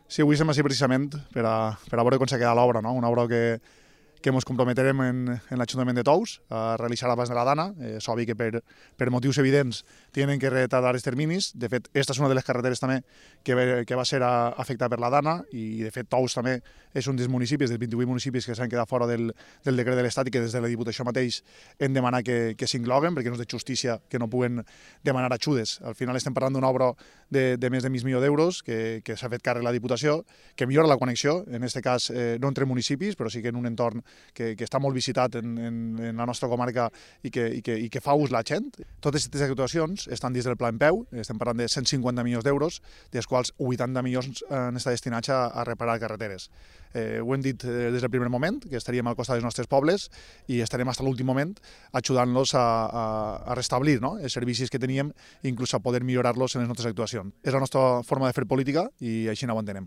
Sí, avui som així precisament per a veure com s'ha quedat l'obra, no? Una obra que ens comprometerem en l'Ajuntament de Tous a realitzar abans de la Dana. És obvi que per motius evidents tenen que retardar els terminis. De fet, aquesta és una de les carreteres també que va ser afectada per la Dana i, de fet, Tous també és un dels municipis, dels 28 municipis que s'han quedat fora del decret de l'Estat i que des de la Diputació mateix hem demanat que s'incloguen perquè no és de justícia que no puguen demanar ajudes. Al final estem parlant d'una obra de més de mig milió d'euros que s'ha fet càrrec la Diputació, que millora la connexió, en aquest cas no entre municipis, però sí que en un entorn que està molt visitat en la nostra comarca i que fa ús la gent. Totes aquestes actuacions estan dins del pla en peu, estem parlant de 150 milions d'euros, dels quals 80 milions han estat destinats a reparar carreteres. Ho hem dit des del primer moment, que estaríem al costat dels nostres pobles i estarem fins a l'últim moment ajudant-los a restablir els servicis que teníem i inclús a poder millorar-los en les nostres actuacions. És la nostra forma de fer política i així no ho entenem.